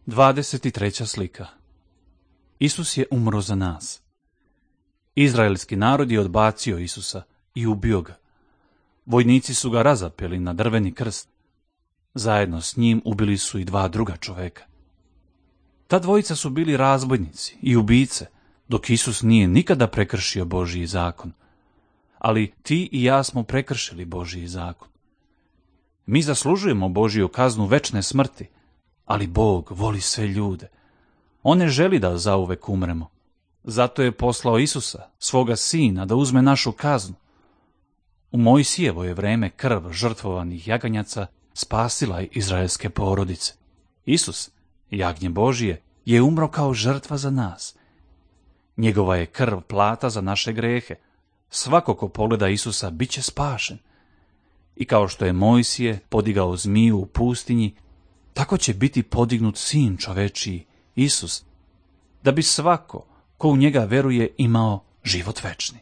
23. slika. Isus je umro za nas. Izraelski narod je odbacio Isusa i ubio ga. Vojnici su ga razapeli na drveni krst. Zajedno s njim ubili su i 2 druga čoveka. Ta dvojica su bili razbojnici i ubice, dok Isus nije nikada prekršio Božji zakon. Ali ti i ja smo prekršili Božji zakon. Mi zaslužujemo Božju kaznu večne smrti, ali Bog voli sve ljude. On ne želi da zauvek umremo. Zato je poslao Isusa, svoga sina, da uzme našu kaznu. U Mojsijevo je vreme krv žrtvovanih jaganjaca spasila izraelske porodice. Isus, jagnje Božije, je umro kao žrtva za nas. Njegova je krv plata za naše grehe. Svako ko pogleda Isusa bit će spašen. I kao što je Mojsije podigao zmiju u pustinji, tako će biti podignut sin čovečiji, Isus, da bi svako ko u njega veruje imao život večni.